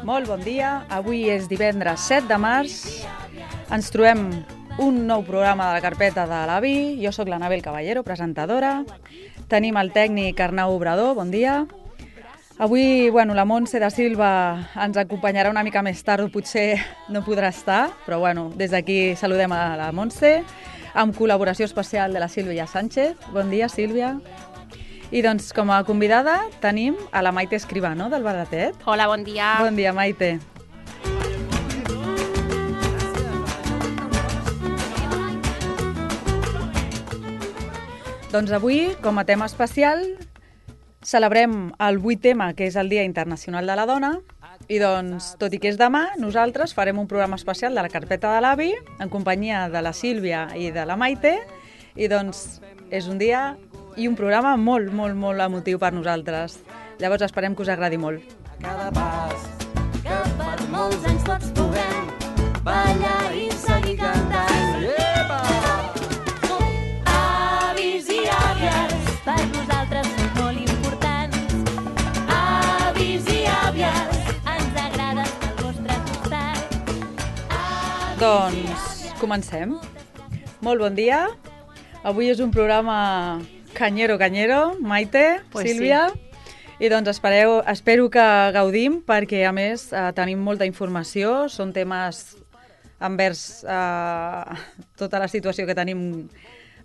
Molt bon dia, avui és divendres 7 de març, ens trobem un nou programa de la carpeta de l'AVI, jo sóc l'Anabel Caballero, presentadora, tenim el tècnic Arnau Obrador, bon dia. Avui, la Montse da Silva ens acompanyarà una mica més tard, potser no podrà estar, però des d'aquí saludem a la Montse, amb col·laboració especial de la Sílvia Sánchez. Bon dia, Sílvia. I doncs, com a convidada, tenim a la Maite Escribano, del Baratet. Hola, bon dia. Bon dia, Maite. Doncs avui, com a tema especial, celebrem el 8M, que és el Dia Internacional de la Dona, i doncs, tot i que és demà, nosaltres farem un programa especial de la carpeta de l'AVI, en companyia de la Sílvia i de la Maite, i doncs és un dia i un programa molt, molt, molt emotiu per nosaltres. Llavors esperem que us agradi molt. Cada pas que per molts anys tots puguem ballar i seguir cantant. Epa! Avis i àvies, per nosaltres són molt importants. Avis i àvies, ens agrada estar al vostre costat. Doncs comencem. Molt bon dia. Avui és un programa canyero, Maite, Pues Sílvia, sí. I doncs espero que gaudim perquè a més tenim molta informació, són temes envers tota la situació que tenim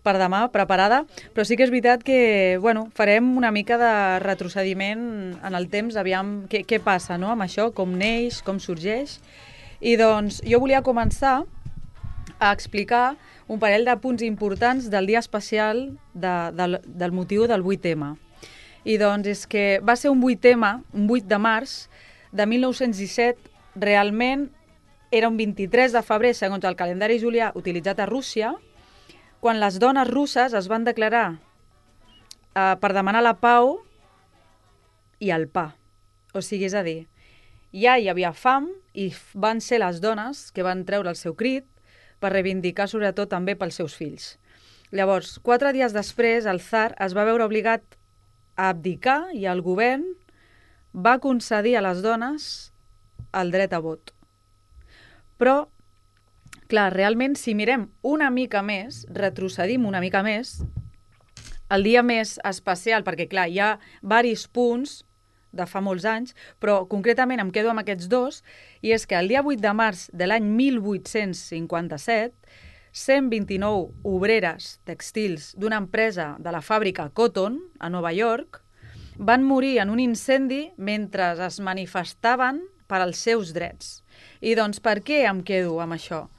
per demà preparada, però sí que és veritat que farem una mica de retrocediment en el temps, aviam què passa, no?, amb això, com neix, com sorgeix. I doncs jo volia començar a explicar un parell de punts importants del dia especial del motiu del 8M. I doncs és que va ser un 8M, un 8 de març de 1917, realment era un 23 de febrer, segons el calendari julià utilitzat a Rússia, quan les dones russes es van declarar per demanar la pau i el pa. O sigui, és a dir, ja hi havia fam i van ser les dones que van treure el seu crit per reivindicar sobretot també pels seus fills. Llavors, 4 dies després, el tsar es va veure obligat a abdicar i el govern va concedir a les dones el dret a vot. Però, clar, realment, si mirem una mica més, retrocedim una mica més, el dia més especial, perquè clar, hi ha diversos punts de fa molts anys, però concretament em quedo amb aquests dos, i és que el dia 8 de març de l'any 1857, 129 obreres tèxtils d'una empresa de la fàbrica Cotton, a Nova York, van morir en un incendi mentre es manifestaven per als seus drets. I doncs per què em quedo amb això?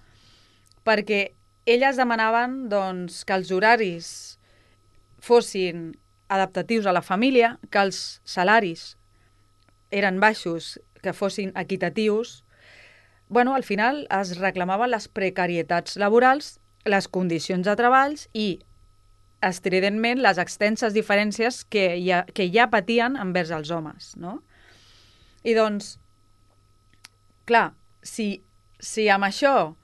Perquè elles demanaven que els horaris fossin adaptatius a la família, que els salaris eren baixos, que fossin equitatius. Al final es reclamaven les precarietats laborals, les condicions de treballs i, estridentment, les extenses diferències que ja patien envers els homes, no? I doncs, clar, si amb això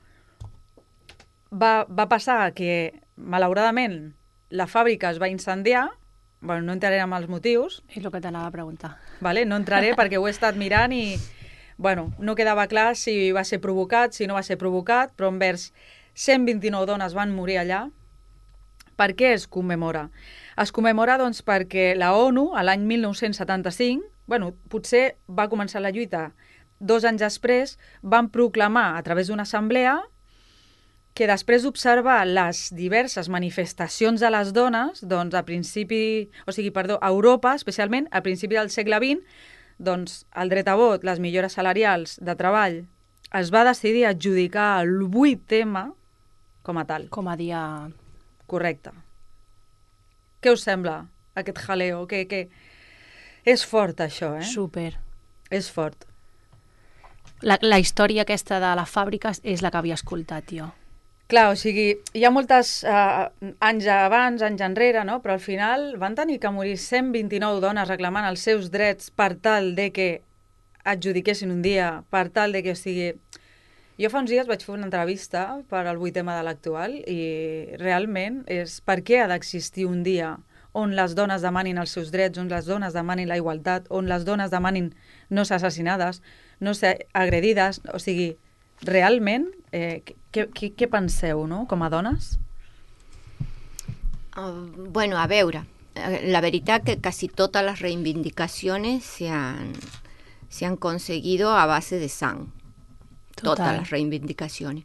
va passar que, malauradament, la fàbrica es va incendiar, no entraré en els motius. És el que t'anava a preguntar. Vale? No entraré perquè ho he estat mirant i no quedava clar si va ser provocat, si no va ser provocat, però envers 129 dones van morir allà. Per què es commemora? Es commemora perquè la ONU, a l'any 1975, potser va començar la lluita 2 anys després, van proclamar a través d'una assemblea que després d'observar les diverses manifestacions de les dones, a Europa, especialment a principi del segle XX, el dret a vot, les millores salarials de treball, es va decidir adjudicar el 8M com a tal. Com a dia... Correcte. Què us sembla, aquest jaleo? És fort, això, eh? Super. És fort. La història aquesta de la fàbrica és la que havia escoltat jo. Clar, o sigui, hi ha moltes anys abans, anys enrere, no? Però al final van tenir que morir 129 dones reclamant els seus drets per tal de que adjudiquessin un dia, per tal de que, o sigui... Jo fa uns dies vaig fer una entrevista per al 8M de l'actual i realment és per què ha d'existir un dia on les dones demanin els seus drets, on les dones demanin la igualtat, on les dones demanin no ser assassinades, no ser agredides, o sigui, realment, què penseu, no?, com a dones? Bueno, a veure, la veritat que casi todas las reivindicaciones se han conseguido a base de sang. Todas las reivindicaciones.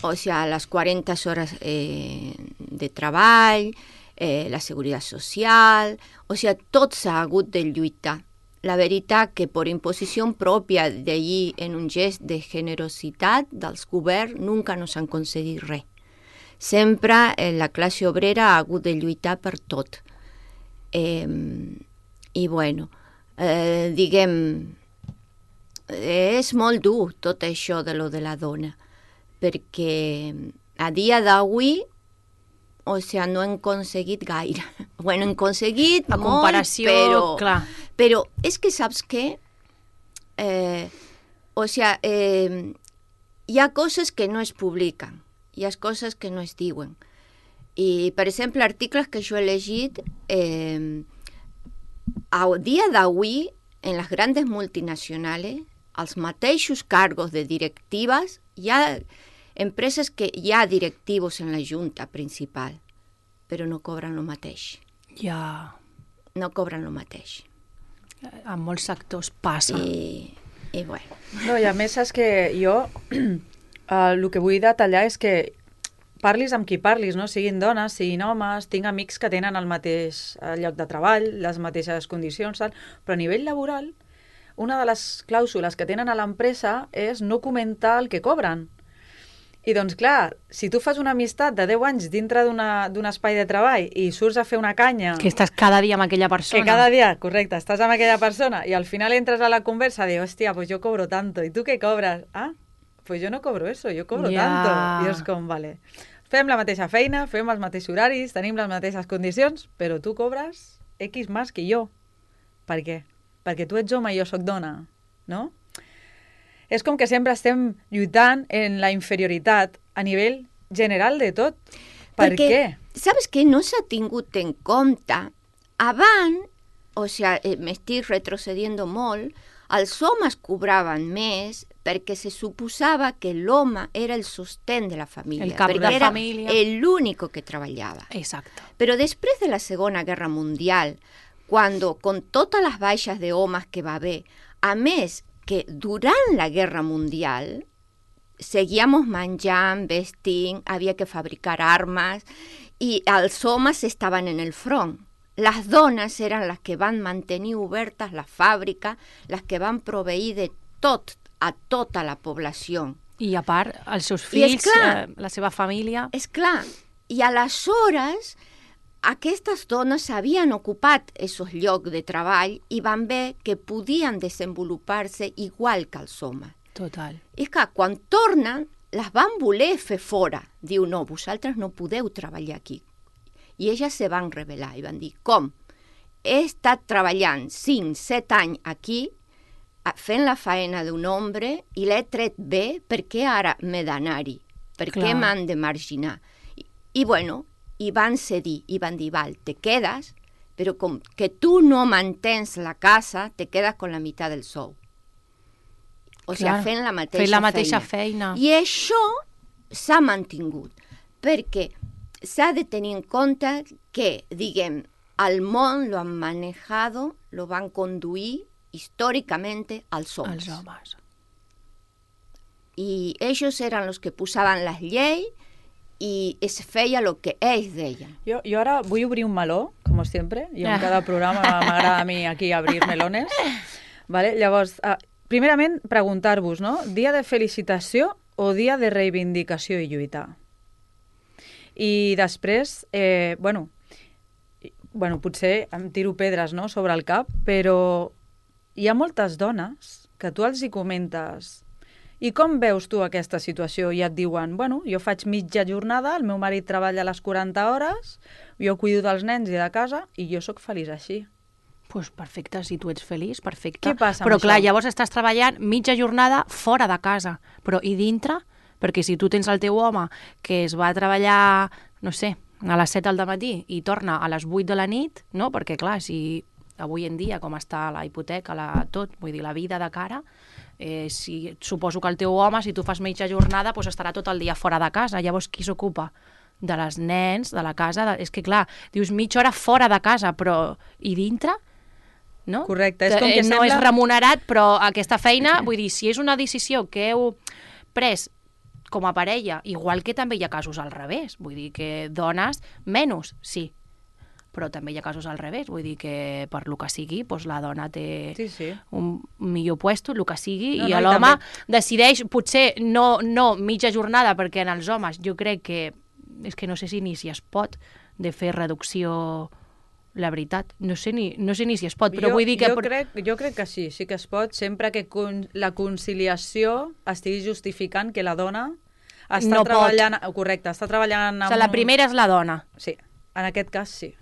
O sea, las 40 horas de treball, la seguretat social, o sea, tot s'ha hagut de lluitar. La veritat que per imposició pròpia d'allí en un gest de generositat dels governs nunca no s'han concedit res. Sempre la classe obrera ha hagut de lluitar per tot. I bueno, diguem, és molt dur tot això de lo de la dona, perquè a dia d'avui, o sigui, no hem aconseguit gaire. Bueno, hem aconseguit la molt, comparació, clar. Però és que saps què? O sigui, hi ha coses que no es publiquen, hi ha coses que no es diuen. I, per exemple, articles que jo he llegit, a dia d'avui, en les grandes multinacionals, els mateixos cargos de directives, hi ha empreses que hi ha directius en la junta principal, però no cobren el mateix. Ja. No cobren el mateix. En molts sectors passa. I bueno. No, i a més és que jo el que vull detallar és que parlis amb qui parlis, no? Siguin dones, siguin homes, tinc amics que tenen el mateix lloc de treball, les mateixes condicions, tal, però a nivell laboral, una de les clàusules que tenen a l'empresa és no comentar el que cobren. I doncs, clar, si tu fas una amistat de 10 anys dintre d'un espai de treball i surts a fer una canya... Que estàs cada dia amb aquella persona. Que cada dia, correcte, estàs amb aquella persona i al final entres a la conversa i dius, hòstia, pues yo cobro tanto. I tu què cobres? Ah, pues yo no cobro eso, yo cobro tanto. I és com, vale, fem la mateixa feina, fem els mateixos horaris, tenim les mateixes condicions, però tu cobres X més que jo. Per què? Perquè tu ets home i jo sóc dona, no? És com que sempre estem lluitant en la inferioritat a nivell general de tot. Per què? Saps que no s'ha tingut en compte? Abans, o sigui, m'estic retrocediendo molt, els homes cobraven més perquè se suposava que l'home era el sostén de la família. El cap de la família. Era l'únic que treballava. Exacte. Però després de la Segona Guerra Mundial, quan, con totes les baixes d'homes que va haver, a més que durant la Guerra Mundial seguíamos menjant, vestint, havia que fabricar armes i els homes estaven en el front. Les dones eren les que van mantenir obertes la fàbrica, les que van proveir de tot a tota la població. I a part, els seus fills, la seva família... És clar, i aleshores aquestes dones havien ocupat aquests llocs de treball i van veure que podien desenvolupar-se igual que els homes. Total. I és que quan tornen, les van voler fer fora. Diu, no, vosaltres no podeu treballar aquí. I elles se van rebel·lar i van dir, com? He estat treballant 5-7 anys aquí, fent la feina d'un home i l'he tret bé, per què ara m'he d'anar-hi? Per què m'han de marginar? I bueno, i van cedir, i van dir, val, te quedes, però com que tu no mantens la casa, te quedes con la meitat del sou. O sigui, fent la mateixa feina. I això s'ha mantingut, perquè s'ha de tenir en compte que, diguem, al món lo han manejado, lo van conduir históricamente als homes. Els homes. I ells eren els que posaven les lleis i es feia el que ells deien. Jo ara vull obrir un meló, com sempre. Jo en cada programa m'agrada a mi aquí abrir melones. Vale? Llavors, primerament, preguntar-vos, no? Dia de felicitació o dia de reivindicació i lluita? I després, bueno, potser em tiro pedres, no?, sobre el cap, però hi ha moltes dones que tu els hi comentes i com veus tu aquesta situació? I et diuen, bueno, jo faig mitja jornada, el meu marit treballa a les 40 hores, jo cuido dels nens i de casa i jo sóc feliç així. Doncs perfecte, si tu ets feliç, perfecte. Què passa amb però clar, això? llavors estàs treballant mitja jornada fora de casa, però i dintre? Perquè si tu tens el teu home que es va a treballar, no sé, a les 7 del matí i torna a les 8 de la nit, no? Perquè clar, si avui en dia, com està la hipoteca, tot, vull dir, la vida de cara, suposo que el teu home, si tu fas mitja jornada, doncs estarà tot el dia fora de casa. Llavors, qui s'ocupa? De les nens, de la casa... És que, clar, dius mitja hora fora de casa, però... I dintre? No? Correcte. És com que no és remunerat, però aquesta feina, vull dir, si és una decisió que heu pres com a parella, igual que també hi ha casos al revés, vull dir que dones menys, sí, però també hi ha casos al revés, vull dir que per lo que sigui, doncs la dona té un millor puesto, el que sigui, i l'home decideix, potser no mitja jornada, perquè en els homes jo crec que, és que no sé si ni si es pot de fer reducció, la veritat, no sé ni si es pot, però vull dir que... Jo crec que sí que es pot, sempre que la conciliació estigui justificant que la dona està treballant... Correcte, està treballant... O sigui, la primera és la dona. Sí, en aquest cas sí.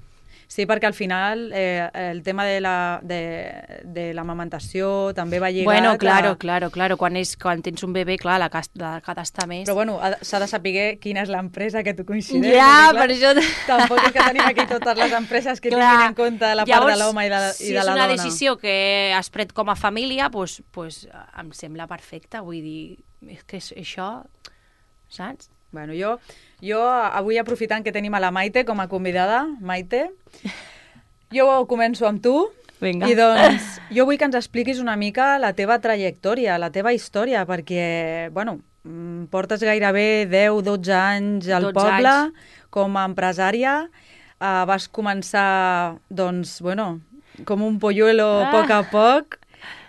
Sí, perquè al final el tema de l'amamentació també va lligat... Bueno, claro, quan tens un bebè, clar, la que d'estar més... Però bueno, s'ha de saber quina és l'empresa que tu coincideix. Ja, per això... Tampoc és que tenim aquí totes les empreses que tinguin en compte la part de l'home i de la dona. Si és una decisió que has pres com a família, doncs em sembla perfecte, vull dir, és que això, saps? Bueno, jo avui, aprofitant que tenim a la Maite com a convidada, Maite, jo començo amb tu. Vinga. I doncs jo vull que ens expliquis una mica la teva trajectòria, la teva història, perquè, bueno, portes gairebé 10-12 anys al poble com a empresària. Vas començar, doncs, bueno, com un polluelo a poc a poc,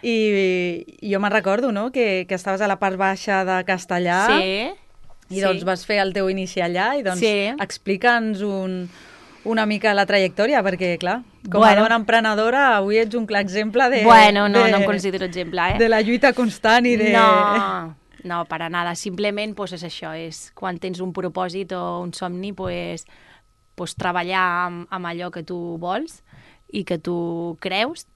i jo me'n recordo, no?, que estaves a la part baixa de Castellà. Sí. I doncs vas fer el teu inici allà i doncs explica'ns una mica la trajectòria, perquè, clar, com a dona emprenedora, avui ets un clar exemple de... Bueno, no em considero exemple, de la lluita constant i de... No, para nada. Simplement, pues, és això, és quan tens un propòsit o un somni, pues treballar amb allò que tu vols i que tu creus,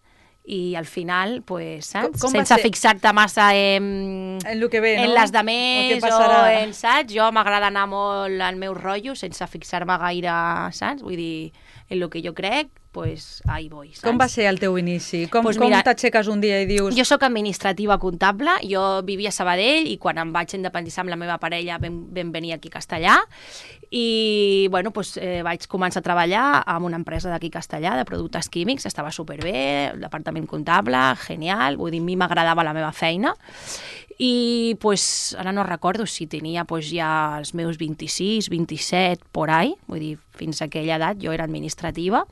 i al final, pues, saps? Sense fixar-te massa en lo que ve, no? En les demés o en, saps? Jo m'agrada anar molt al meu rotllo sense fixar-me gaire, saps? Vull dir, en lo que jo crec, pues ahí voy, saps? Com va ser el teu inici? Com t'aixeques un dia i dius... Jo sóc administrativa comptable, jo vivia a Sabadell i quan em vaig independitzar amb la meva parella vam venir aquí a Castellà i, bueno, pues, vaig començar a treballar en una empresa d'aquí a Castellà de productes químics, estava superbé, el departament comptable, genial, vull dir, a mi m'agradava la meva feina i, pues, ara no recordo si tenia pues, ja els meus 26, 27, por ahí, vull dir, fins a aquella edat jo era administrativa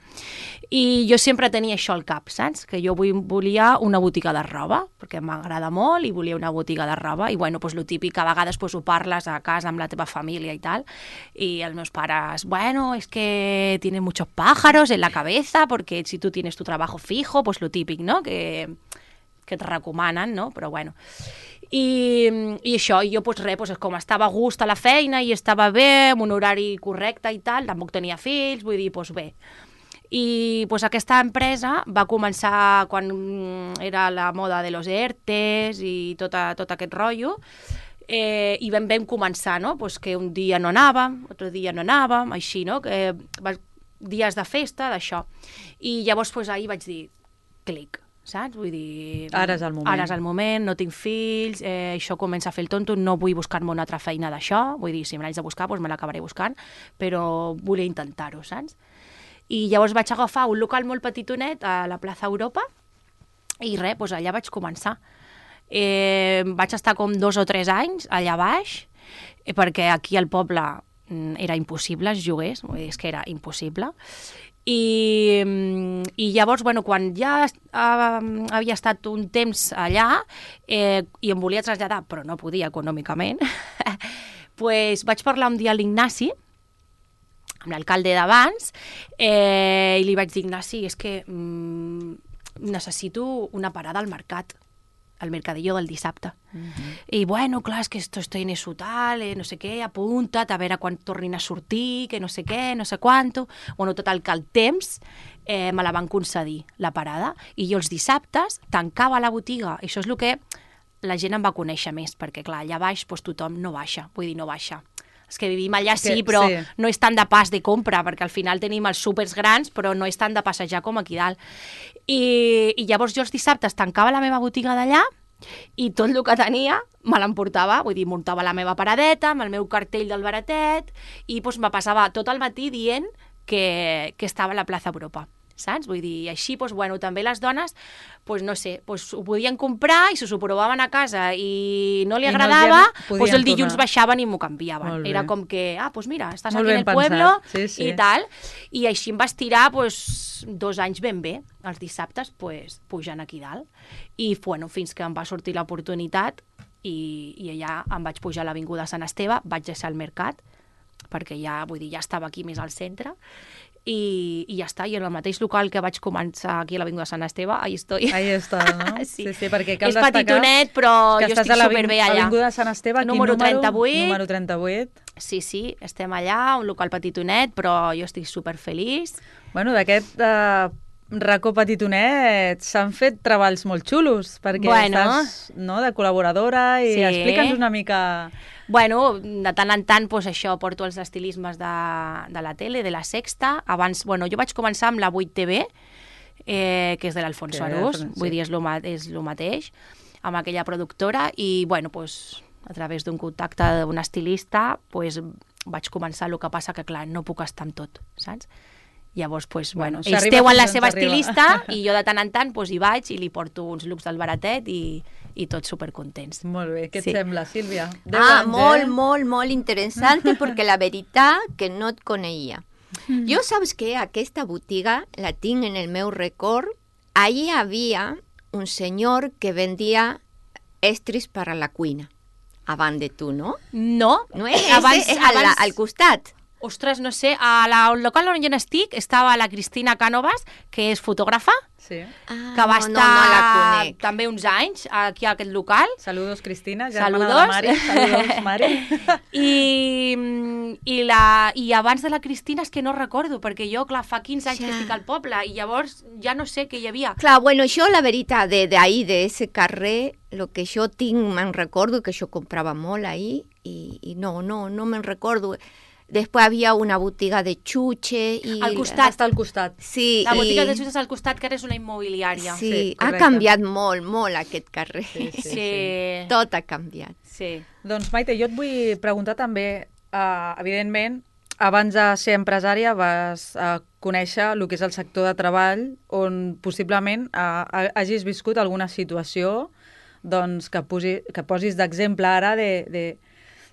i jo sempre tenia això al cap, saps? Que jo volia una botiga de roba, perquè m'agrada molt i volia una botiga de roba i, bueno, pues, lo típic, a vegades pues, ho parles a casa amb la teva família i tal, i els meus pares, bueno, es que tienes muchos pájaros en la cabeza, porque si tú tienes tu trabajo fijo, pues lo típic, no?, que et recomanen, no?, però bueno... I això, i jo, pues, res, pues, com estava a gust a la feina i estava bé, amb un horari correcte i tal, tampoc tenia fills, vull dir, pues bé. I pues, aquesta empresa va començar quan era la moda de los ERTEs i tot aquest rotllo, i vam començar, no?, pues, que un dia no anàvem, altre dia no anàvem, així, no?, dies de festa, d'això. I llavors pues, ahir vaig dir, clic, saps? Vull dir... Ara és el moment. Ara és el moment, no tinc fills, això comença a fer el tonto, no vull buscar-me una altra feina d'això, vull dir, si me l'haig de buscar, doncs me l'acabaré buscant, però volia intentar-ho, saps? I llavors vaig agafar un local molt petitonet a la plaça Europa i res, doncs allà vaig començar. Vaig estar com 2 o 3 anys allà baix, perquè aquí al poble era impossible, els lloguers, és que era impossible. I llavors, bueno, quan ja havia estat un temps allà i em volia traslladar, però no podia econòmicament, pues vaig parlar un dia a l'Ignasi, amb l'alcalde d'abans, i li vaig dir, Ignasi, és que necessito una parada al mercat, al mercadillo del dissabte. I, bueno, clar, és que estoy en eso tal, no sé què, apunta't, a veure quan tornin a sortir, que no sé què, no sé quanto... Bueno, total, que el temps me la van concedir, la parada, i jo els dissabtes tancava la botiga. Això és el que la gent em va conèixer més, perquè, clar, allà baix doncs, tothom no baixa, vull dir, no baixa És que vivim allà sí, però no és tant de pas de compra, perquè al final tenim els súpers grans, però no és tant de passejar com aquí dalt. I llavors jo els dissabtes tancava la meva botiga d'allà i tot el que tenia me l'emportava, vull dir, muntava la meva paradeta amb el meu cartell del baratet i doncs, me passava tot el matí dient que estava a la plaça Europa. Saps? Vull dir, així, doncs, bueno, també les dones, doncs, no sé, doncs, ho podien comprar i si s'ho provaven a casa i no li agradava, doncs el dilluns baixaven i m'ho canviaven. Era com que, doncs mira, estàs aquí en el pueblo i tal. I així em vas tirar doncs, 2 anys ben bé, els dissabtes doncs, pujant aquí dalt. I bueno, fins que em va sortir l'oportunitat i allà em vaig pujar a l'Avinguda Sant Esteve, vaig deixar el mercat, perquè ja, vull dir, ja estava aquí més al centre, i ja està, i en el mateix local que vaig començar aquí a l'Avinguda Sant Esteve, ahí estoy. Ahí està, no? Sí, perquè cal és petitonet, però jo estic superbé allà. Avinguda Sant Esteve, número 38. Número 38. Sí, estem allà, un local petitonet, però jo estic superfeliç. Bueno, d'aquest racó petitonet s'han fet treballs molt xulos, perquè estàs de col·laboradora i explica'ns una mica... Bueno, de tant en tant, doncs això, porto els estilismes de la tele, de la Sexta. Abans, bueno, jo vaig començar amb la 8TV, que és de l'Alfonso Arús, vull dir, és el mateix, amb aquella productora, i, bueno, doncs, a través d'un contacte d'un estilista, doncs, vaig començar, el que passa que, clar, no puc estar amb tot, saps? Llavors, doncs, bueno, ells teuen la seva estilista i jo de tant en tant hi vaig i li porto uns looks del baratet i tots supercontents. Molt bé, què et sembla, Sílvia? Molt interessant, perquè la veritat que no et coneixia. Jo saps que aquesta botiga la tinc en el meu record. Allí havia un senyor que vendia estris per a la cuina. Abans de tu, no? No. No és al costat. Ostres, no sé, al local on jo estic estava la Cristina Cánovas, que és fotògrafa, que va estar també uns anys aquí a aquest local. Saludos, Cristina, germana de la Mari. Saludos, Mari. I abans de la Cristina és que no recordo, perquè jo, clar, fa 15 anys que estic al poble i llavors ja no sé què hi havia. Clar, bueno, jo la veritat, d'ahí, d'ese carrer, el que jo tinc, me'n recordo que jo comprava molt ahí i no me'n recordo. Després havia una botiga de xuche. Al costat. Està al costat. Sí. La botiga de xuches al costat, que ara és una immobiliària. Sí, ha canviat molt aquest carrer. Sí. Tot ha canviat. Sí. Doncs, Maite, jo et vull preguntar també, evidentment, abans de ser empresària vas conèixer el que és el sector de treball on possiblement hagis viscut alguna situació doncs, que posis d'exemple ara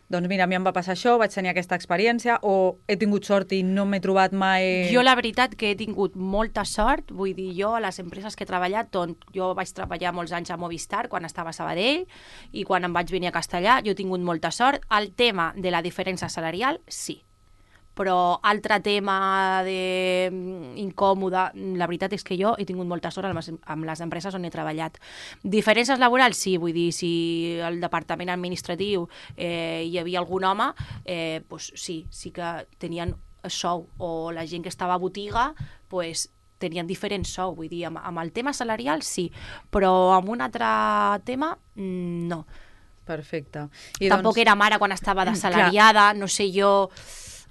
doncs mira, a mi em va passar això, vaig tenir aquesta experiència, o he tingut sort i no m'he trobat mai... Jo la veritat que he tingut molta sort, vull dir, jo a les empreses que he treballat, jo vaig treballar molts anys a Movistar quan estava a Sabadell i quan em vaig venir a Castellà, jo he tingut molta sort. El tema de la diferència salarial, sí. Però altre tema incòmode, la veritat és que jo he tingut molta sort amb les empreses on he treballat. Diferències laborals, sí, vull dir, si al departament administratiu hi havia algun home, doncs sí que tenien sou, o la gent que estava a botiga, doncs tenien diferents sou, vull dir, amb el tema salarial sí, però amb un altre tema no. Perfecte. Tampoc era mare quan estava d'assalariada, no sé jo...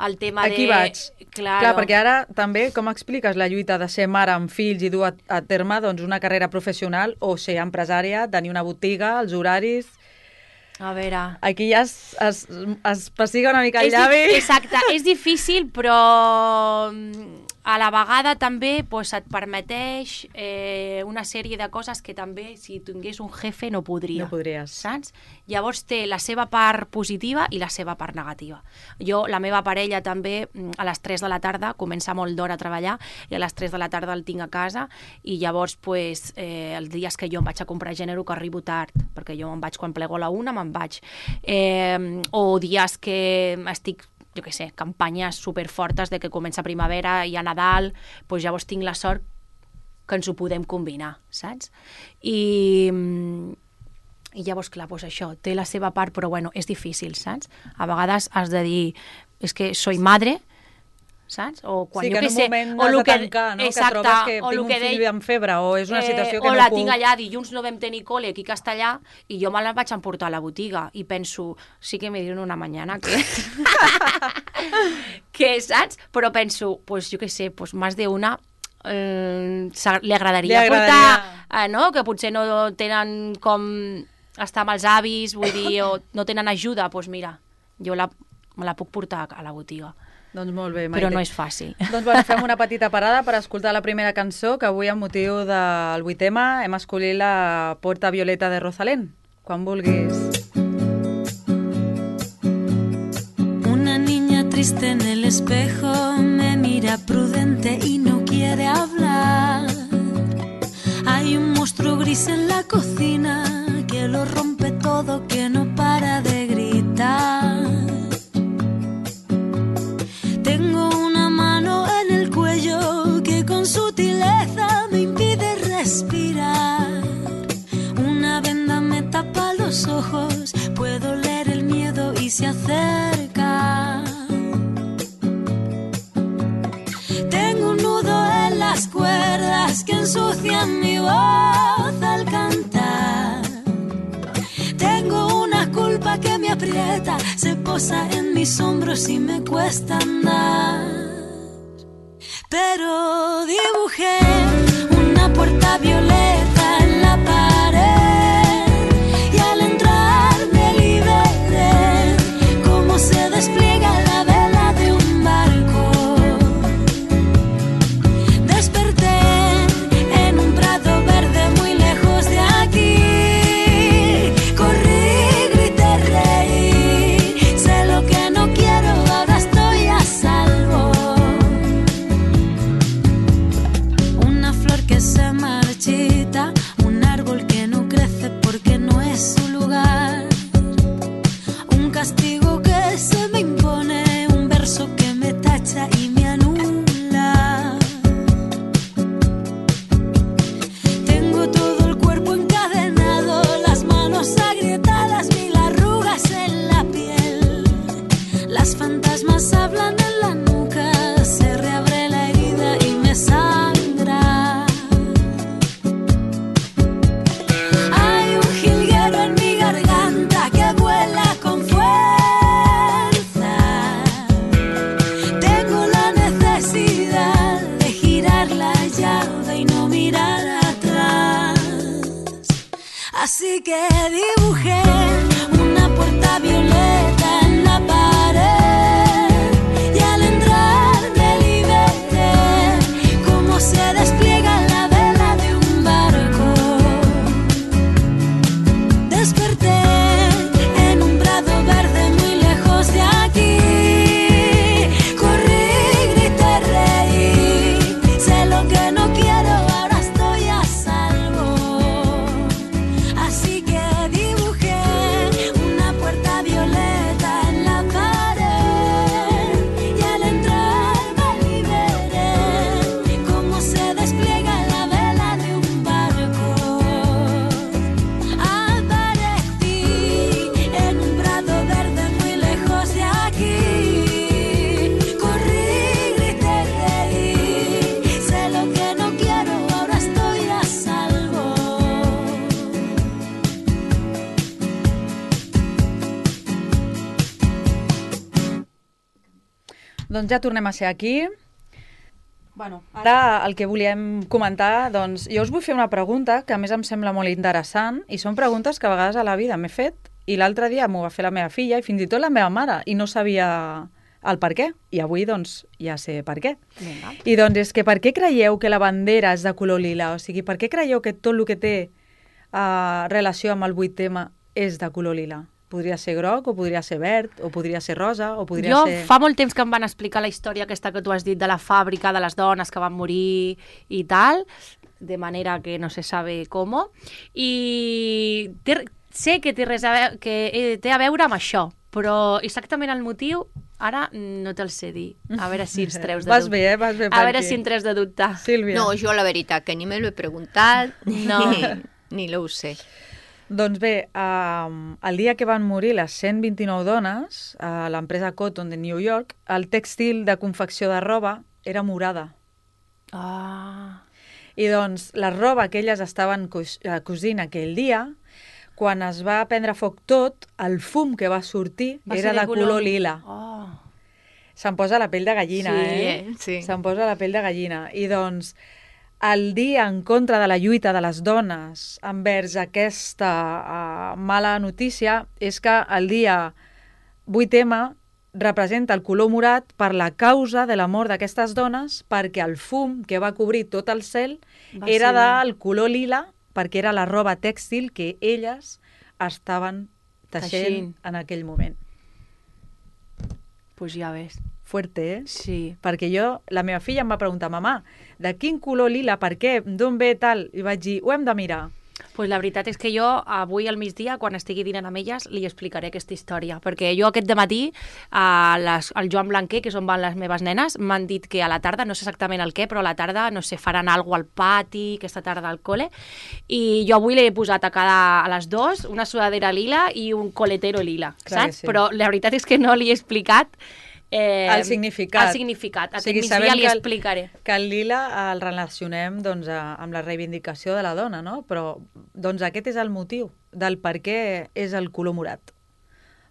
el tema aquí vaig. Clar, perquè ara també, com expliques la lluita de ser mare amb fills i dur a terme doncs, una carrera professional o ser empresària, tenir una botiga, els horaris... A veure... Aquí ja es pessiga una mica el llavi. Exacte, és difícil, però a la vegada també pues, et permeteix una sèrie de coses que també, si tingués un jefe, no podria. No podries. Saps? Llavors té la seva part positiva i la seva part negativa. Jo, la meva parella també, a les 3 de la tarda, comença molt d'hora a treballar i a les 3 de la tarda el tinc a casa i llavors, pues, els dies que jo em vaig a comprar gènere que arribo tard, perquè jo me'n vaig quan plego a la 1, me'n vaig. O dies que estic jo què sé, campanyes superfortes de que comença primavera i a Nadal, doncs llavors tinc la sort que ens ho podem combinar, saps? I llavors, clar, doncs això, té la seva part, però bueno, és difícil, saps? A vegades has de dir, és que soy madre, saps? O quan, Sí, que jo en què un sé, moment o has lo de tancar, no? exacte, Que trobes que o tinc lo un que fill amb febre o és una situació que o no la puc... tinc allà, dilluns no vam tenir col·le aquí a Castellà i jo me la vaig emportar a la botiga i penso, sí que me dieron una mañana que... que, saps? Però penso, pues jo què sé, pues más de una li agradaria portar, no? Que potser no tenen com estar amb els avis, vull dir, o no tenen ajuda, doncs mira, jo me la puc portar a la botiga. Doncs molt bé, Maite. Però no és fàcil. Doncs bueno, fem una petita parada per escoltar la primera cançó, que avui, amb motiu del 8è tema, hem escollit la Porta Violeta de Rosalén. Quan vulguis. Una niña triste en el espejo me mira prudente y no quiere hablar. Hay un monstruo gris en la cocina que lo rompe todo, que no para de gritar. Tengo una mano en el cuello que con sutileza me impide respirar. Una venda me tapa los ojos, puedo leer el miedo y se acerca. Tengo un nudo en las cuerdas que ensucian mi voz al cantar. Tengo una culpa que me aprieta, se posa en mis hombros y me cuesta andar. Pero dibujé una puerta violeta en la pared y al entrar me liberé, como se despliega la vela de un barco. Desperté en un prado verde muy lejos de aquí. Corrí, grité, reí, sé lo que no quiero, ahora estoy a salvo. Una flor que se marchita, un árbol que no crece porque no es su lugar. Un castigo que se me impone, un verso que me tacha y me anula. Tengo todo el cuerpo encadenado, las manos agrietadas, mil arrugas en la piel. Las fantasmas hablan en la nuca, se reabre la herida y me sangra. Hay un jilguero en mi garganta que vuela con fuerza. Tengo la necesidad de girar la llave y no mirar atrás. Así que dibujé una puerta violeta en la pared y al entrar me liberé, como se despliega la vela de un barco. Desperté en un prado verde muy lejos de aquí. Corrí, grité, reí, sé lo que no quiero, ahora estoy a salvo. Así que dibujé una puerta violeta en la pared y al entrar me liberé, como se despliega la vela de un barco. Aparecí en un prado verde muy lejos de aquí. Corrí, grité, reí, sé lo que no quiero, ahora estoy a salvo. Doncs ja tornem a ser aquí. Bueno, ara el que volíem comentar, doncs jo us vull fer una pregunta que a més em sembla molt interessant i són preguntes que a vegades a la vida m'he fet i l'altre dia m'ho va fer la meva filla i fins i tot la meva mare i no sabia el per què. I avui doncs ja sé per què. Vinga. I doncs és que per què creieu que la bandera és de color lila? O sigui, per què creieu que tot el que té relació amb el 8 tema és de color lila? Podria ser groc, o podria ser verd, o podria ser rosa, o podria Jo ser... fa molt temps que em van explicar la història aquesta que tu has dit de la fàbrica de les dones que van morir i tal, de manera que no se sabe com, i sé que té a veure amb això, però exactament el motiu ara no te'l sé dir. A veure si ens treus de Vas dubte. bé, vas bé per A veure aquí. si en treus de dubte. Sílvia. No, yo la veritat que ni me lo he preguntat, No. ni lo sé. Doncs bé, el dia que van morir les 129 dones a l'empresa Cotton de New York, el tèxtil de confecció de roba era morada. Ah, I doncs la roba que elles estaven cosint aquell dia, quan es va prendre foc tot, el fum que va sortir va era ser de color lila. Oh. Se'm posa la pell de gallina, Sí. Se'm posa la pell de gallina. I doncs el dia en contra de la lluita de les dones envers aquesta mala notícia és que el dia 8M representa el color morat per la causa de la mort d'aquestes dones, perquè el fum que va cobrir tot el cel Va era ser- del color lila, perquè era la roba tèxtil que elles estaven teixint Teixint. en aquell moment. Pues ja ves. Fuerte, eh? Sí. Perquè la meva filla em va preguntar, mamà, de quin color lila, per què, d'on ve tal? I vaig dir, ho hem de mirar. Pues la veritat és que jo avui al migdia, quan estigui dinant amb elles, li explicaré aquesta història. Perquè jo aquest dematí, al Joan Blanquer, que és on van les meves nenes, m'han dit que a la tarda, no sé exactament el què, però a la tarda, no sé, faran alguna al pati, aquesta tarda al col·le, i jo avui l'he posat a les dues, una sudadera lila i un coletero lila, Clar que saps? sí. Però la veritat és que no li he explicat El significat. El significat. O Aquest sigui, migdia sabem li que el- explicaré. Que el lila el relacionem doncs, amb la reivindicació de la dona, no? Però doncs, aquest és el motiu del per què és el color morat.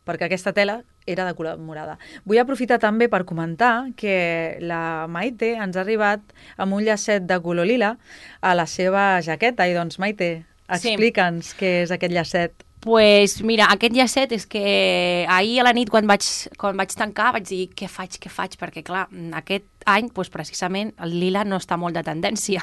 Perquè aquesta tela era de color morada. Vull aprofitar també per comentar que la Maite ens ha arribat amb un llacet de color lila a la seva jaqueta. I doncs, Maite, Sí. explica'ns què és aquest llacet. Pues mira, aquest llacet és que ahir a la nit quan vaig tancar vaig dir què faig, perquè clar, aquest any pues, precisament el lila no està molt de tendència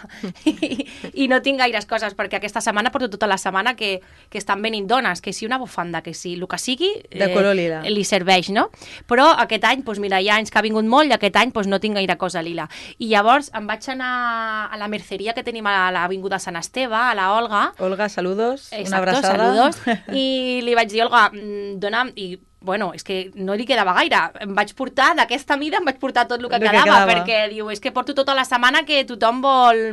I no tinc gaires coses perquè aquesta setmana porto tota la setmana que estan venint dones, que si una bufanda, que si el que sigui De color lila. li serveix, no? Però aquest any, pues, mira, hi ha anys que ha vingut molt i aquest any pues, no tinc gaire cosa lila. I llavors em vaig anar a la merceria que tenim a l'Avinguda Sant Esteve, a la Olga. Olga, saludos, una Exacto, abraçada. saludos. I li vaig dir, Olga, dona'm... I, bueno, és que no li quedava gaire. Em vaig portar, d'aquesta mida, em vaig portar tot el que quedava, perquè diu, és que porto tota la setmana que tothom vol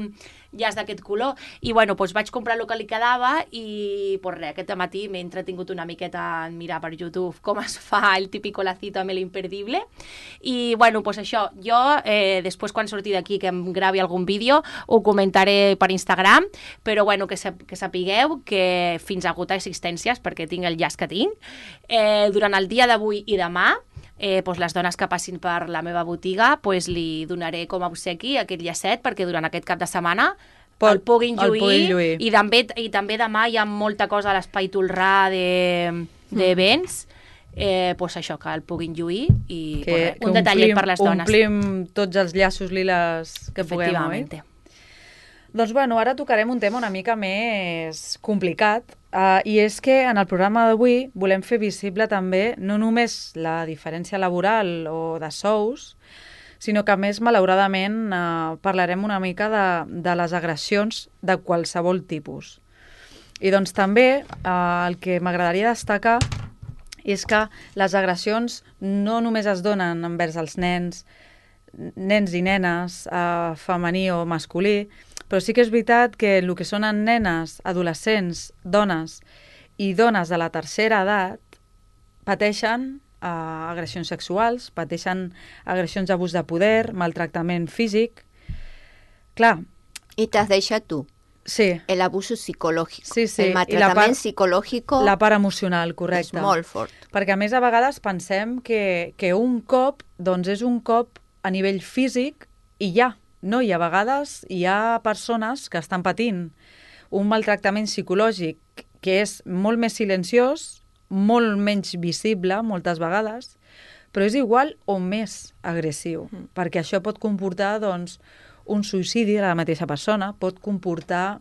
llaç d'aquest color. I, bueno, doncs vaig comprar el que li quedava i, pues res, aquest matí m'he entretingut una miqueta en mirar per YouTube com es fa el típico lacito amb l'imperdible. I, bueno, doncs això, jo, després quan surti d'aquí que em gravi algun vídeo, ho comentaré per Instagram, però, bueno, que sapigueu que fins a agotar existències, perquè tinc el llaç que tinc, durant el dia d'avui i demà, doncs les dones que passin per la meva botiga li donaré com a obsequi aquest llacet perquè durant aquest cap de setmana el puguin lluir. I també demà hi ha molta cosa a l'Espai Tolrà d'events, doncs això, que el puguin lluir i un detallet per les dones. Omplim tots els llaços liles que puguem, oi? Doncs bueno, ara tocarem un tema una mica més complicat i és que en el programa d'avui volem fer visible també no només la diferència laboral o de sous, sinó que a més, malauradament, parlarem una mica de les agressions de qualsevol tipus. I doncs també el que m'agradaria destacar és que les agressions no només es donen envers els nens i nenes, femení o masculí, però sí que és veritat que el que són nenes, adolescents, dones i dones de la tercera edat pateixen agressions sexuals, pateixen agressions d'abús de poder, maltractament físic. Clar. I t'has deixat tu. Sí. El abuso psicològic. Sí, sí. El maltratament psicològic. La part emocional, correcte. És molt fort. Perquè a més a vegades pensem que un cop doncs és un cop a nivell físic i ja. No, i a vegades hi ha persones que estan patint un maltractament psicològic que és molt més silenciós, molt menys visible moltes vegades, però és igual o més agressiu, perquè això pot comportar doncs, un suïcidi de la mateixa persona, pot comportar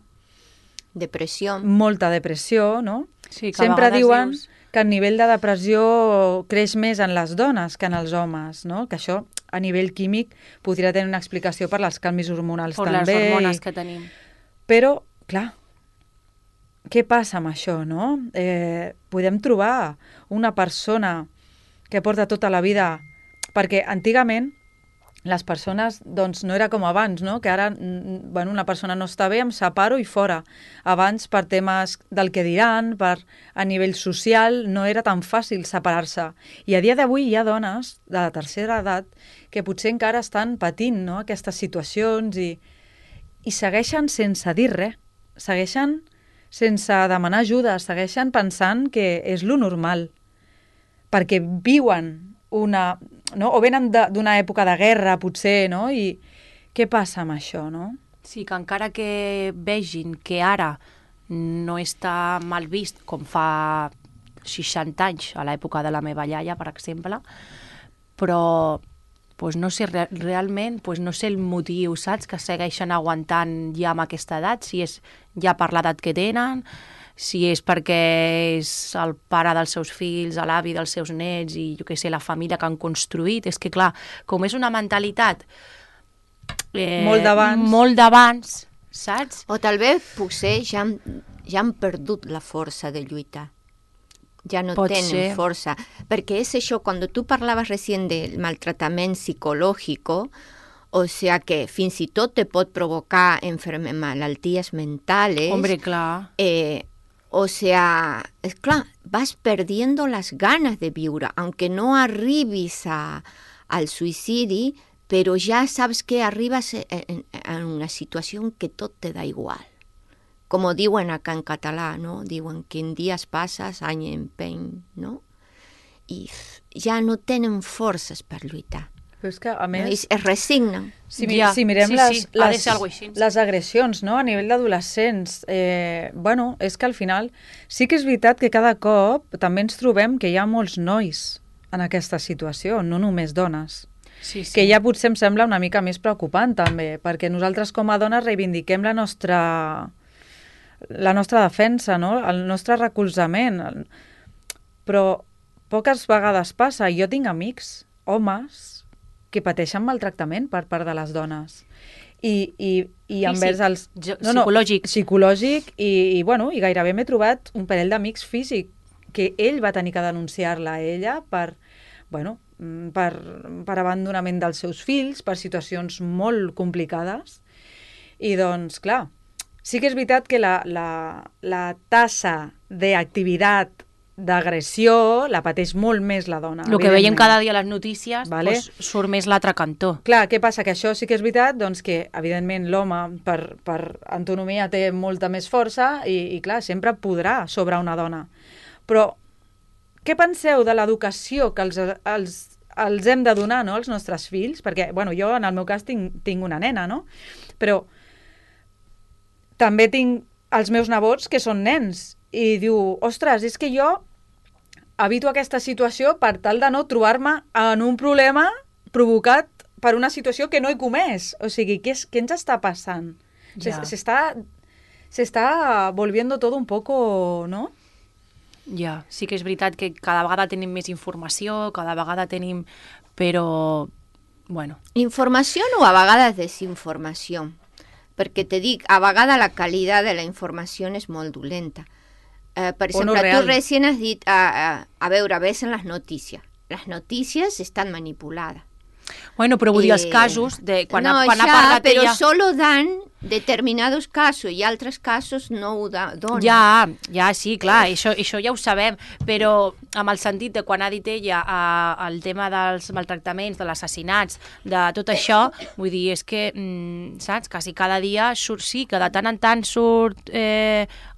depressió, molta depressió, no? Sí, sempre diuen que el nivell de depressió creix més en les dones que en els homes, no? Que això a nivell químic podria tenir una explicació per les canvis hormonals també. Per les hormones que tenim. Però, clar, què passa amb això, no? Podem trobar una persona que porta tota la vida... Perquè antigament les persones, doncs, no era com abans, no? Que ara, bueno, una persona no està bé, em separo i fora. Abans, per temes del que diran, a nivell social, no era tan fàcil separar-se. I a dia d'avui hi ha dones de la tercera edat que potser encara estan patint, no?, aquestes situacions i segueixen sense dir res. Segueixen sense demanar ajuda, segueixen pensant que és lo normal. Perquè viuen no? O venen d'una època de guerra, potser, no? I què passa amb això, no? Sí, que encara que vegin que ara no està mal vist com fa 60 anys, a l'època de la meva iaia, per exemple, però pues no sé, realment pues no sé el motiu, saps? Que segueixen aguantant ja amb aquesta edat, si és ja per l'edat que tenen, si és perquè és el pare dels seus fills, l'avi dels seus nets i, jo què sé, la família que han construït. És que, clar, com és una mentalitat molt d'abans, saps? O tal potser ja han perdut la força de lluitar. Ja no tenen força. Perquè és això, quan tu parlaves recient del maltratament psicològic, o sea que fins i tot te pot provocar malalties mentales. Hombre, clar. O sea, es clar, vas perdiendo las ganas de viure, aunque no arribis al suïcidi, però ja saps que arribes en una situació que tot te da igual. Com diuen acá en català, no? Diuen que en dies passes, any empeny, no? I ja no tenen forces per lluitar. Però és que, a més... No? Es resignen. Si mirem les agressions, no?, a nivell d'adolescents, bueno, és que al final sí que és veritat que cada cop també ens trobem que hi ha molts nois en aquesta situació, no només dones. Sí, sí. Que ja potser em sembla una mica més preocupant també, perquè nosaltres com a dones reivindiquem la nostra defensa, no?, el nostre recolzament. Però poques vegades passa. Jo tinc amics, homes, que pateixen maltractament per part de les dones. I envers els... Psicològic i gairebé m'he trobat un parell d'amics físic que ell va tenir que denunciar-la a ella per abandonament dels seus fills, per situacions molt complicades. I doncs, clar, sí que és veritat que la tassa d'activitat d'agressió la pateix molt més la dona. El que veiem cada dia a les notícies, vale? Pues, surt més l'altre cantó. Clar, què passa? Que això sí que és veritat, doncs que, evidentment, l'home per antonomia té molta més força i clar, sempre podrà sobre una dona. Però què penseu de l'educació que els hem de donar, no?, als nostres fills? Perquè, jo en el meu cas tinc una nena, no? Però també tinc els meus nebots que són nens i diu, ostres, és que jo evito aquesta situació per tal de no trobar-me en un problema provocat per una situació que no he comès. O sigui, què ens està passant? Ja. Se está volviendo todo un poco, ¿no? Ja, sí que és veritat que cada vegada tenim més informació, cada vegada tenim... Però, bueno... Informació o a vegades desinformació. Perquè te dic, a vegades la qualitat de la informació és molt dolenta. Per exemple, tu recient has dit, a veure, ves en les notícies. Les notícies estan manipulades. Bueno, però vull dir els casos de quan ha parlat però ella... solo dan determinados casos i altres casos no ho donen. Ja, sí, clar, això ja ho sabem, però amb el sentit de quan ha dit ella el tema dels maltractaments, de l'assassinats, de tot això, vull dir, és que, saps, quasi cada dia surt, sí, que de tant en tant surt...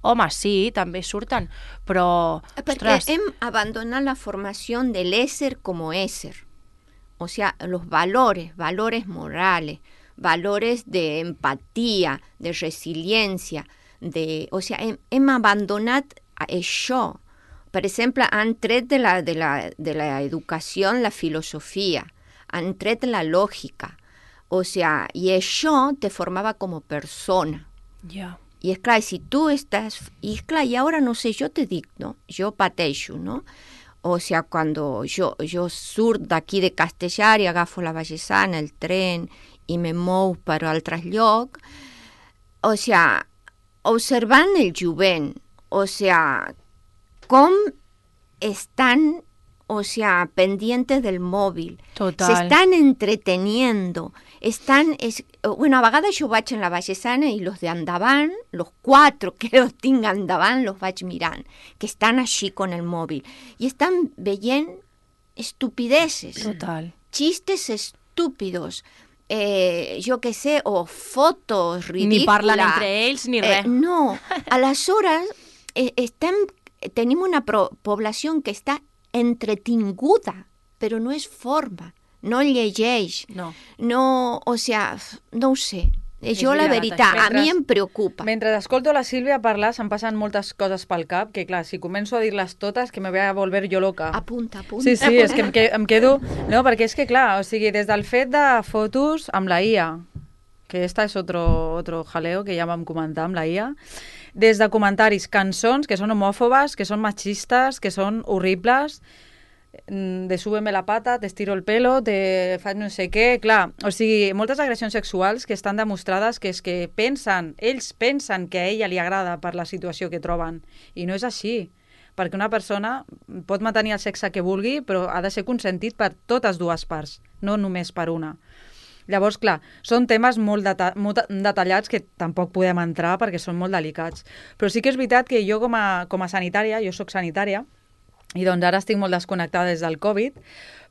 Home, sí, també surten, però... Perquè hem abandonat la formació de l'ésser com a ésser. O sea, los valores morales, valores de empatía, de resiliencia, o sea, hem abandonat això. Per exemple, han tret de la educació la filosofia, han tret la lògica. O sea, i això te formava com a persona. Ja. I és clar, si tu estàs... I és clar, i ara no sé, jo te dic, no? Jo pateixo, no? O sea, cuando yo surt d'aquí de Castellar i agafo la Vallesana, el tren, i me mou per altres llocs, o sea, observant el jovent, o sea, com estan, o sea, pendientes del móvil. Total. Se están entreteniendo. Bueno, a vegades jo vaig en la baixesana i los de endavant, los 4 que los tinc endavant, los vaig mirant, que estan així con el mòbil. I estan veient estupideces. Total. Chistes estúpidos. Jo què sé, o fotos ridícules. Ni parlen entre ells ni res. No, aleshores tenim una població que està entretinguda, però no és forma, no llegeix, no, o sea, no ho sé. Jo, la veritat, a mi em preocupa. Mentre escolto la Sílvia parlar, se'm passen moltes coses pel cap, que clar, si començo a dir-les totes, que me voy a volver yo loca. Apunta. Sí, és que em quedo... No, perquè és que clar, o sigui, des del fet de fotos amb la IA, que esta és otro jaleo que ja vam comentar amb la IA, des de comentaris, cançons que són homòfobes, que són machistes, que són horribles, de súbeme la pata, te estiro el pelo, te faig no sé què, clar, o sigui, moltes agressions sexuals que estan demostrades que és que ells pensen que a ella li agrada per la situació que troben, i no és així, perquè una persona pot mantenir el sexe que vulgui, però ha de ser consentit per totes dues parts, no només per una. Llavors, clar, són temes molt detallats que tampoc podem entrar perquè són molt delicats, però sí que és veritat que jo com a sanitària, jo soc sanitària, i doncs ara estic molt desconnectada des del Covid,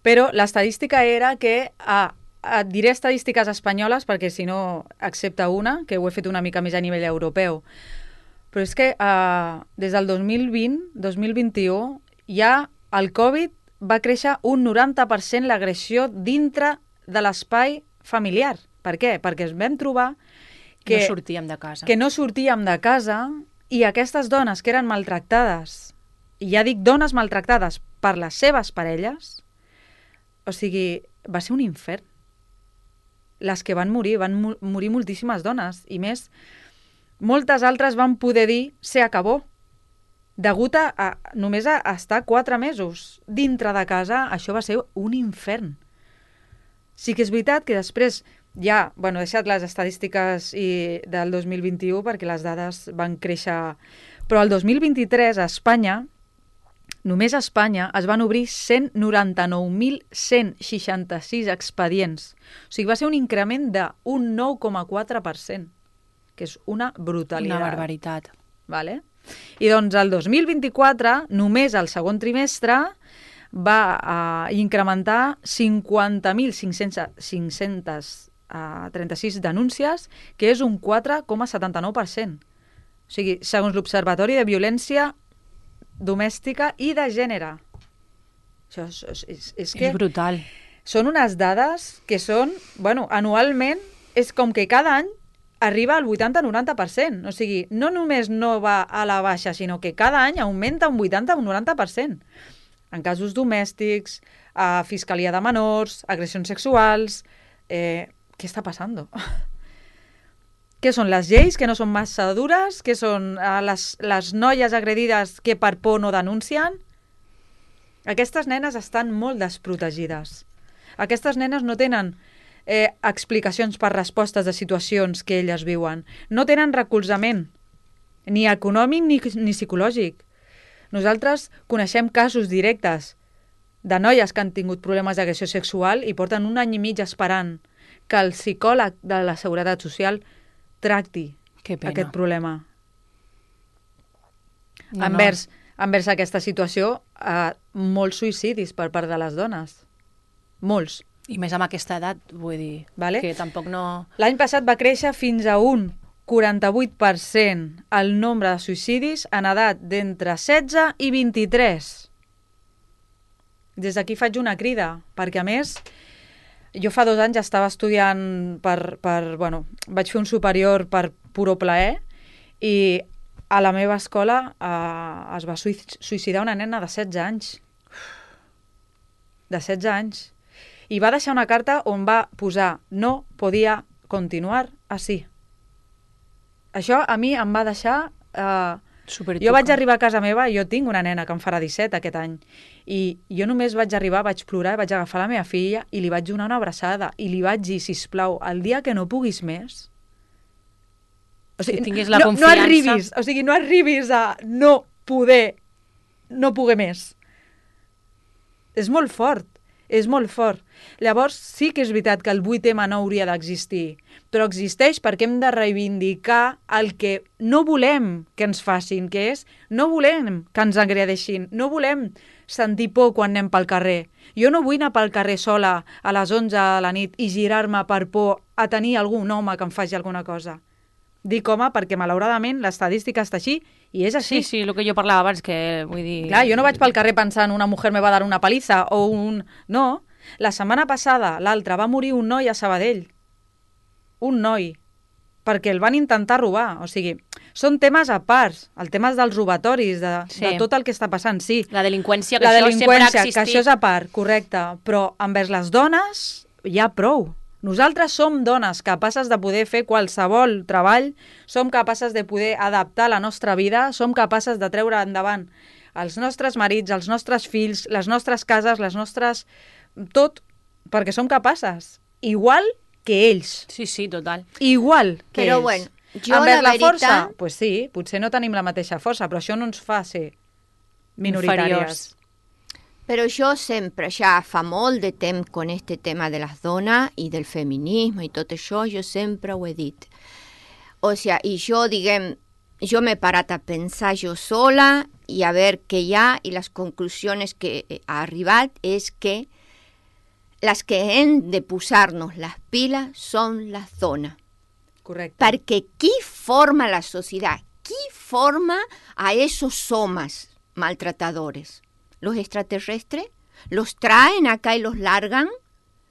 però l'estadística era que, et diré estadístiques espanyoles perquè si no accepta una, que ho he fet una mica més a nivell europeu, però és que des del 2020-2021 ja el Covid va créixer un 90% l'agressió dintre de l'espai familiar. Per què? Perquè ens vam trobar que no sortíem de casa i aquestes dones que eren maltractades, i ja dic dones maltractades per les seves parelles, o sigui, va ser un infern. Les que van morir moltíssimes dones, i més, moltes altres van poder dir se acabó, degut a només a estar 4 mesos dintre de casa. Això va ser un infern. Sí que és veritat que després ja, he deixat les estadístiques del 2021 perquè les dades van créixer, però el 2023 a Espanya, només a Espanya es van obrir 199.166 expedients. O sigui, va ser un increment d'un 9,4%, que és una brutalitat. Una barbaritat. Vale? I doncs el 2024, només el segon trimestre, va incrementar 50.536 denúncies, que és un 4,79%. O sigui, segons l'Observatori de Violència Domèstica i de Gènere. Això és que... És brutal. Són unes dades que són... anualment és com que cada any arriba al 80-90%. O sigui, no només no va a la baixa, sinó que cada any augmenta un 80-90%. En casos domèstics, a fiscalia de menors, agressions sexuals... què està passant? Què són les lleis que no són massa dures? Què són les noies agredides que per por no denuncien? Aquestes nenes estan molt desprotegides. Aquestes nenes no tenen explicacions per respostes de situacions que elles viuen. No tenen recolzament, ni econòmic ni psicològic. Nosaltres coneixem casos directes de noies que han tingut problemes d'agressió sexual i porten 1 any i mig esperant que el psicòleg de la Seguretat Social tracti aquest problema. Envers aquesta situació, molts suïcidis per part de les dones. Molts. I més amb aquesta edat, vull dir, que tampoc no... L'any passat va créixer fins a un 48% el nombre de suïcidis en edat d'entre 16 i 23. Des d'aquí faig una crida, perquè a més... Jo fa 2 anys estava estudiant vaig fer un superior per puro plaer i a la meva escola es va suïcidar una nena de 16 anys. De 16 anys. I va deixar una carta on va posar no podia continuar així. Això a mi em va deixar... Jo vaig arribar a casa meva, jo tinc una nena que em farà 17 aquest any, i jo només vaig arribar, vaig plorar, vaig agafar la meva filla i li vaig donar una abraçada i li vaig dir, sisplau, el dia que no puguis més... O sigui, tinguis la confiança... No arribis a no poder més. És molt fort, és molt fort. Llavors sí que és veritat que el 8M no hauria d'existir, però existeix perquè hem de reivindicar el que no volem que ens facin, que és no volem que ens agredeixin, no volem sentir por quan anem pel carrer. Jo no vull anar pel carrer sola a les 11 de la nit i girar-me per por a tenir algun home que em faci alguna cosa. Dic home perquè malauradament l'estadística està així i és així. Sí, el que jo parlava abans, que vull dir... Clar, jo no vaig pel carrer pensant una mujer me va dar una paliza o un... No, la setmana passada, l'altra, va morir un noi a Sabadell. Un noi. Perquè el van intentar robar. O sigui, són temes a part. El tema dels robatoris, de tot el que està passant, sí. La delinqüència, que la això sempre ha delinqüència, existit. que això és a part, correcte. Però envers les dones hi ha prou. Nosaltres som dones capaces de poder fer qualsevol treball, som capaces de poder adaptar la nostra vida, som capaces de treure endavant els nostres marits, els nostres fills, les nostres cases, les nostres... tot, perquè som capaces. Igual que ells. Sí, total. Igual que Però ells. bueno, jo envers la la força, veritat... pues sí, potser no tenim la mateixa força, però això no ens fa ser minoritàries. Inferiors. Però jo sempre, ja fa molt de temps con este tema de les dones i del feminisme i tot això, jo sempre ho he dit. O sea, i jo, diguem, jo m'he parat a pensar jo sola i a veure què hi ha i les conclusions que ha arribat és que les que hem de posar-nos les piles són les dones. Correcte. Perquè qui forma la societat? Qui forma a esos homes maltratadores? ¿Los extraterrestres? ¿Los traen acá y los largan?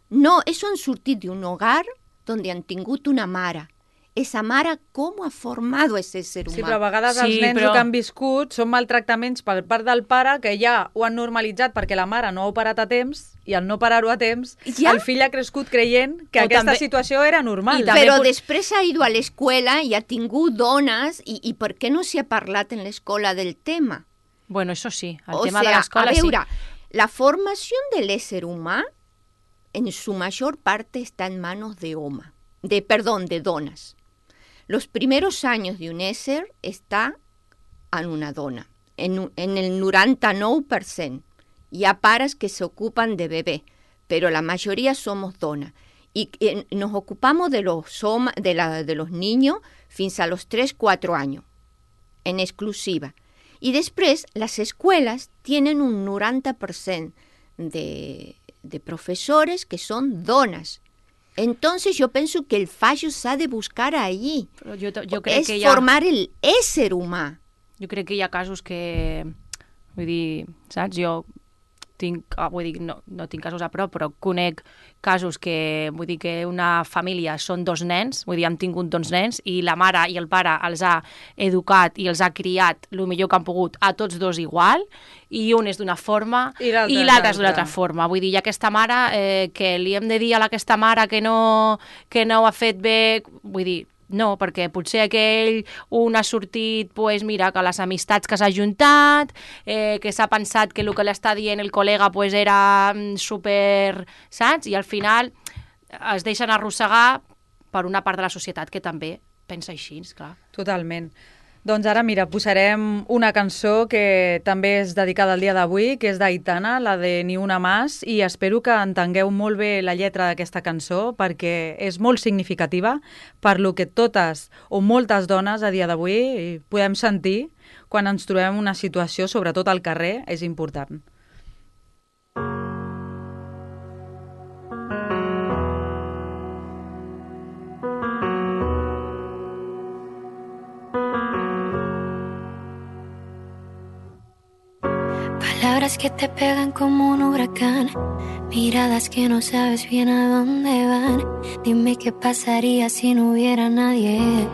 No, eso han sortit d'un hogar donde han tingut una mare. Esa mare, com ha format ese ser humà? Sí, però a vegades els nens el que han viscut són maltractaments per part del pare que ja ho han normalitzat perquè la mare no ha operat a temps i al no parar-ho a temps, Ja? el fill ha crescut creient que O aquesta també- situació era normal. I també Però pot- després ha ido a l'escola i ha tingut dones i per què no s'ha parlat en l'escola del tema? Bueno, això sí, el O tema sea, de l'escola a veure, sí. la formación del ésser humà en su mayor parte está en manos de de donas. Los primeros años de un ésser está en una dona, en el 99%. Hi ha pares que se ocupan de bebé, pero la mayoría somos donas. Y nos ocupamos de los niños fins a los 3-4 años, en exclusiva. Y después las escuelas tienen un 90% de profesores que son donas. Entonces yo pienso que el fallo s'ha de buscar allí. Però jo crec És que hi ha... formar el ésser humà. Jo crec que hi ha casos que... Vull dir, saps? Jo tinc... Vull dir, no tinc casos a prop, però conec casos que... Vull dir que una família són 2 nens, vull dir, han tingut 2 nens, i la mare i el pare els ha educat i els ha criat el millor que han pogut a tots 2 igual, i un és d'una forma I l'altre i és l'altre és d'una l'altra. altra forma. Vull dir, i aquesta mare, que li hem de dir a aquesta mare que no ho ha fet bé, vull dir, no, perquè potser aquell un ha sortit, pues, mira, que les amistats que s'ha juntat, que s'ha pensat que el que l'està dient el col·lega pues, era super, saps? I al final es deixen arrossegar per una part de la societat que també pensa així, clar. Totalment. Doncs ara, mira, posarem una cançó que també és dedicada al dia d'avui, que és d'Aitana, la de Ni una más, i espero que entengueu molt bé la lletra d'aquesta cançó perquè és molt significativa per lo que totes o moltes dones a dia d'avui podem sentir quan ens trobem en una situació, sobretot al carrer, és important. Palabras que te pegan como un huracán, miradas que no sabes bien a dónde van. Dime qué pasaría si no hubiera nadie.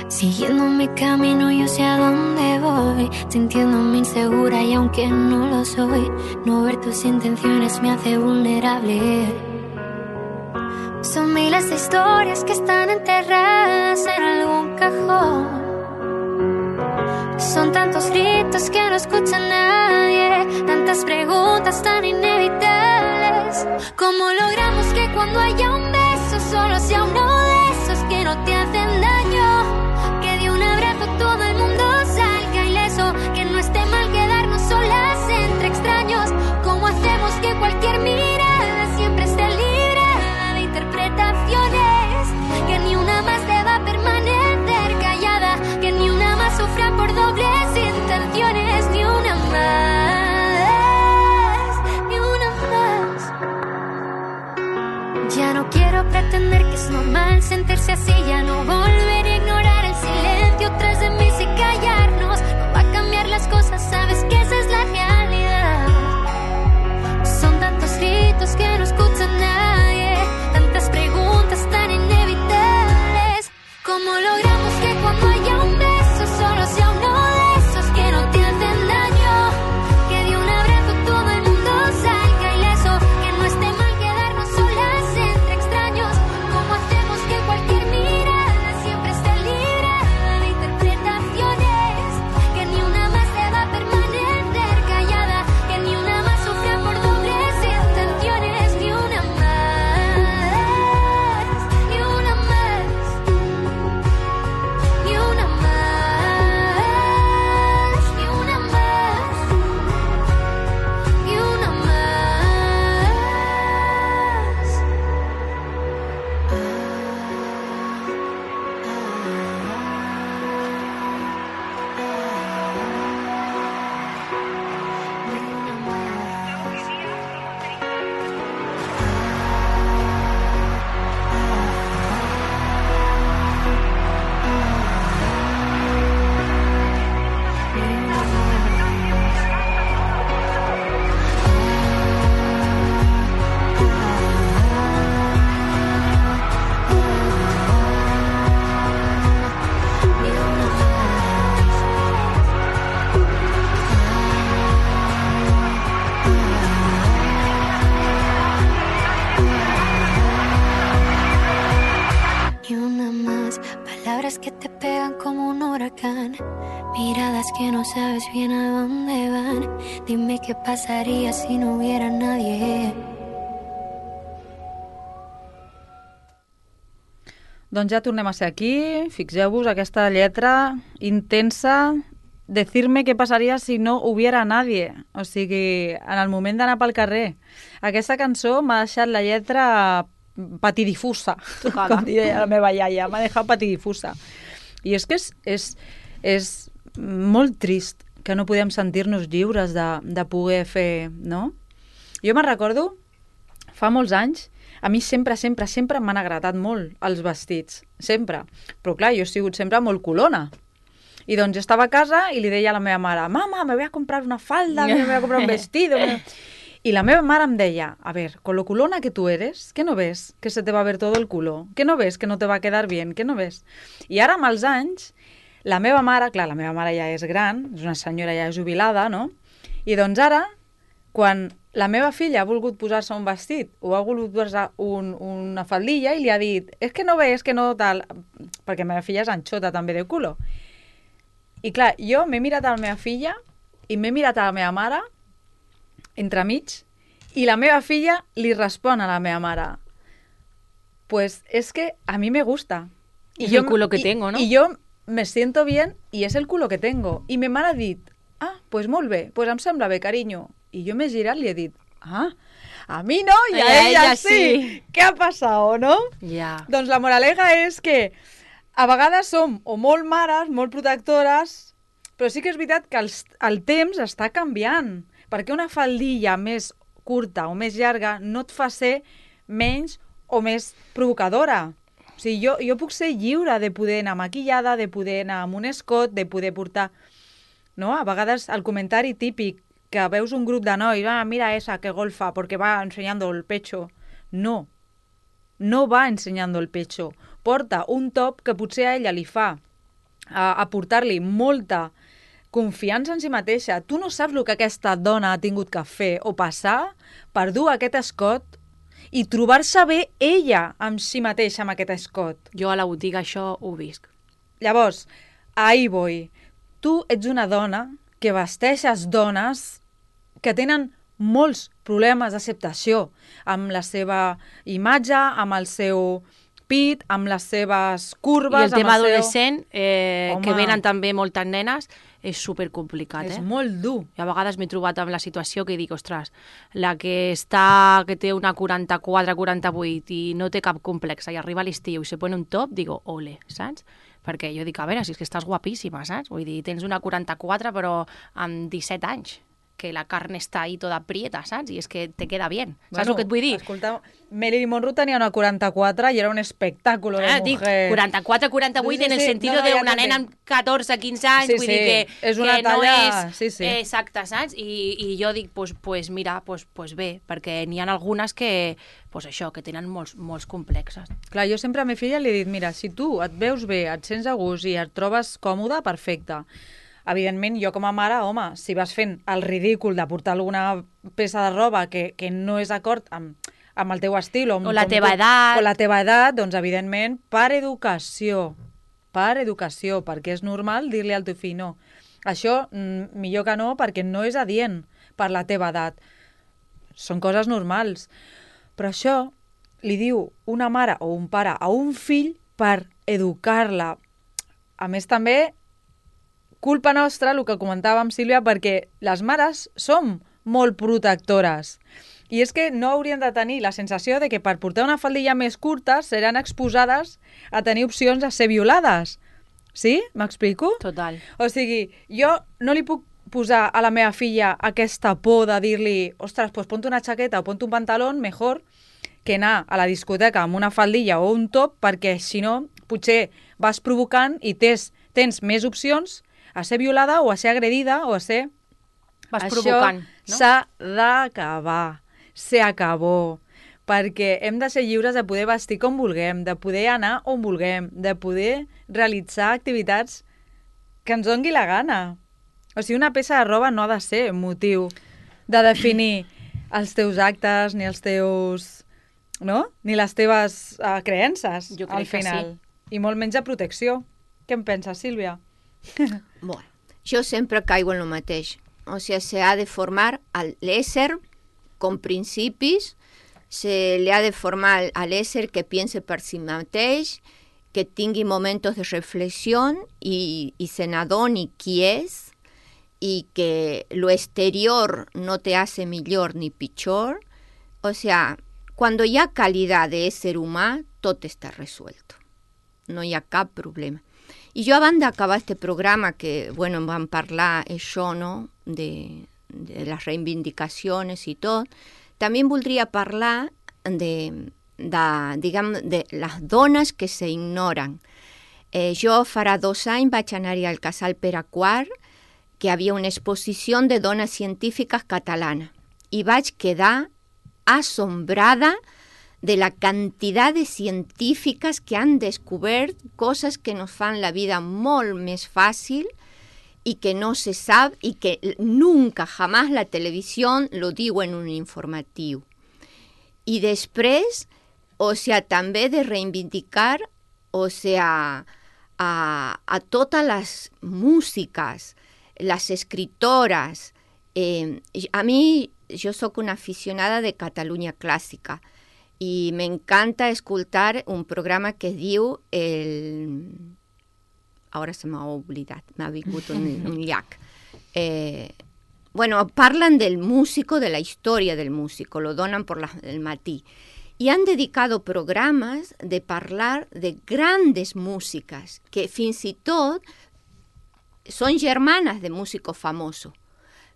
Siguiendo mi camino yo sé a dónde voy, sintiéndome insegura y aunque no lo soy, no ver tus intenciones me hace vulnerable. Son miles de historias que están enterradas en algún cajón. Son tantos gritos que no escucha nadie, tantas preguntas tan inevitables. ¿Cómo logramos que cuando haya un beso solo sea uno de esos que no te hacen daño? Que de un abrazo todo el mundo salga ileso, que no esté mal quedarnos solas. que no sabes bien a dónde van. Dime qué pasaría si no hubiera nadie. Doncs ja tornem a ser aquí. Fixeu-vos aquesta lletra intensa. Decirme què passaria si no hubiera nadie. O sigui, en el moment d'anar pel carrer. Aquesta cançó m'ha deixat la lletra patidifusa, com diria la meva iaia. M'ha deixat patidifusa. I és que és molt trist que no podem sentir-nos lliures de poder fer, no? Jo me'n recordo, fa molts anys, a mi sempre m'han agradat molt els vestits, sempre. Però clar, jo he sigut sempre molt culona. I doncs jo estava a casa i li deia a la meva mare, mama, me voy a comprar una falda, me voy a comprar un vestido. Y la meva mare em deia, a ver, con lo culona que tú eres, ¿qué no ves que se te va a ver todo el culo? ¿Qué no ves que no te va a quedar bien? ¿Qué no ves? I ara, amb els anys, la meva mare, clar, la meva mare ja és gran, és una senyora ja jubilada, no? I doncs ara, quan la meva filla ha volgut posar-se un vestit o ha volgut posar una faldilla i li ha dit, és que no ves que no tal, perquè la meva filla és anxota també de culo. I clar, jo m'he mirat a la meva filla i m'he mirat a la meva mare entremig i la meva filla li respon a la meva mare, pues es que a mí me gusta. És el culo que tengo, ¿no? I jo me siento bien y es el culo que tengo. I mi mare ha dit, pues molt bé, pues em sembla bé, carinyo. I jo m'he girat i li he dit, a mi no i a ella sí. Què ha passat, no? Ja. Doncs la moraleja és que a vegades som o molt mares, molt protectores, però sí que és veritat que el temps està canviant, perquè una faldilla més curta o més llarga no et fa ser menys o més provocadora. O sigui, jo puc ser lliure de poder anar maquillada, de poder anar amb un escot, de poder portar... No? A vegades el comentari típic que veus un grup de nois, mira esa que golfa porque va enseñando el pecho. No va enseñando el pecho. Porta un top que potser a ella li fa aportar-li molta confiança en si mateixa. Tu no saps el que aquesta dona ha tingut que fer o passar per dur aquest escot i trobar-se bé ella amb si mateixa amb aquest escot. Jo a la botiga això ho visc. Llavors, ahí voy. Tu ets una dona que vesteixes dones que tenen molts problemes d'acceptació amb la seva imatge, amb el seu pit, amb les seves curves... I el tema amb adolescent, que venen també moltes nenes, és supercomplicat, És molt dur. I a vegades m'he trobat amb la situació que dic, ostres, la que té una 44-48 i no té cap complex i arriba a l'estiu i se pone un top, digo, ole, saps? Perquè jo dic, a veure, si és que estàs guapíssima, saps? Vull dir, tens una 44 però amb 17 anys, que la carn està ahí toda prieta, saps? I és que te queda bien. Saps el que et vull dir? Escolta, Marilyn Monroe tenia una 44 i era un espectáculo de mujer. Dic, 44-48 en el sentit d'una nena amb 14-15 anys, vull dir que és una talla... no és exacte, saps? I jo dic, pues mira, pues bé, perquè n'hi ha algunes que, pues això, que tenen molts complexes. Clar, jo sempre a mi filla li he dit, mira, si tu et veus bé, et sents a gust i et trobes còmode, perfecte. Evidentment, jo com a mare, home, si vas fent el ridícul de portar alguna peça de roba que no és d'acord amb el teu estil o la teva edat. O la teva edat, doncs, evidentment, per educació, perquè és normal dir-li al teu fill, no, això millor que no, perquè no és adient per la teva edat. Són coses normals. Però això li diu una mare o un pare a un fill per educar-la. A més, també, culpa nostra, el que comentàvem, Sílvia, perquè les mares som molt protectores. I és que no haurien de tenir la sensació de que per portar una faldilla més curta seran exposades a tenir opcions a ser violades. Sí? M'explico? Total. O sigui, jo no li puc posar a la meva filla aquesta por de dir-li, ostres, pues ponte una xaqueta o ponte un pantalón, mejor que anar a la discoteca amb una faldilla o un top, perquè si no, potser vas provocant i tens més opcions a ser violada o a ser agredida o a ser... Vas provocant, no? Això s'ha d'acabar. Se acabó. Perquè hem de ser lliures de poder vestir com vulguem, de poder anar on vulguem, de poder realitzar activitats que ens doni la gana. O sigui, una peça de roba no ha de ser motiu de definir els teus actes ni els teus... no? Ni les teves creences, jo crec al final. Que sí. I molt menys de protecció. Què en penses, Sílvia? Bueno, jo sempre caigo en lo mateix. O sigui, s'ha de formar l'ésser con principis, se li ha de formar a l'ésser que piense per si mateix, que tingui momentos de reflexión y se n'adoni qui és, y que lo exterior no te hace millor ni pitjor. O sea, cuando hi ha calidad de ésser humà, tot està resuelto. No hi ha cap problema. I jo, abans d'acabar este programa, que, bueno, em van parlar això, no?, de les reivindicacions i tot, també voldria parlar de les dones que s'ignoren. Jo farà 2 anys vaig anar-hi al Casal Pere IV, que hi havia una exposició de dones científiques catalanes, i vaig quedar asombrada de la cantidad de científicas que han descubert cosas que nos fan la vida molt més fàcil y que no se sabe y que nunca, jamás la televisión lo diu en un informatiu. I després, o sea, també de reivindicar, o sea, a totes les músiques, les escritoras. A mi, jo soc una aficionada de Catalunya Clàssica i m'encanta escoltar un programa que es diu Ara se m'ha oblidat, m'ha vingut un llac. Bueno, parlen del músico, de la història del músico, lo donen por el matí. Y han dedicado programas de parlar de grandes músicas, que fins i tot són germanes de músicos famosos,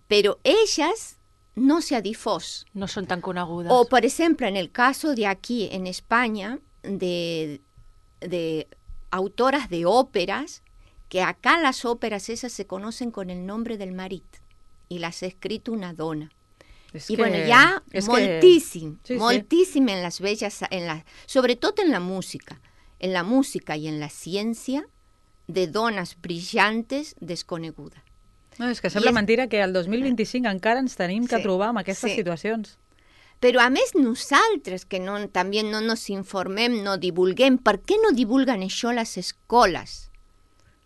però elles no se ha difós. No són tan conegudes. O, por ejemplo, en el caso de aquí, en España, de autoras de óperas, que acá las óperas esas se conocen con el nombre del marit, y las ha escrito una dona. Y bueno, ya moltíssim, moltíssim en las bellas, sobretot en la música y en la ciència, de dones brillantes desconegudes. No, és que sembla mentira que el 2025 encara ens tenim que trobar amb aquestes situacions. Però a més nosaltres, que també no nos informem, no divulguem, per què no divulguen això a les escoles?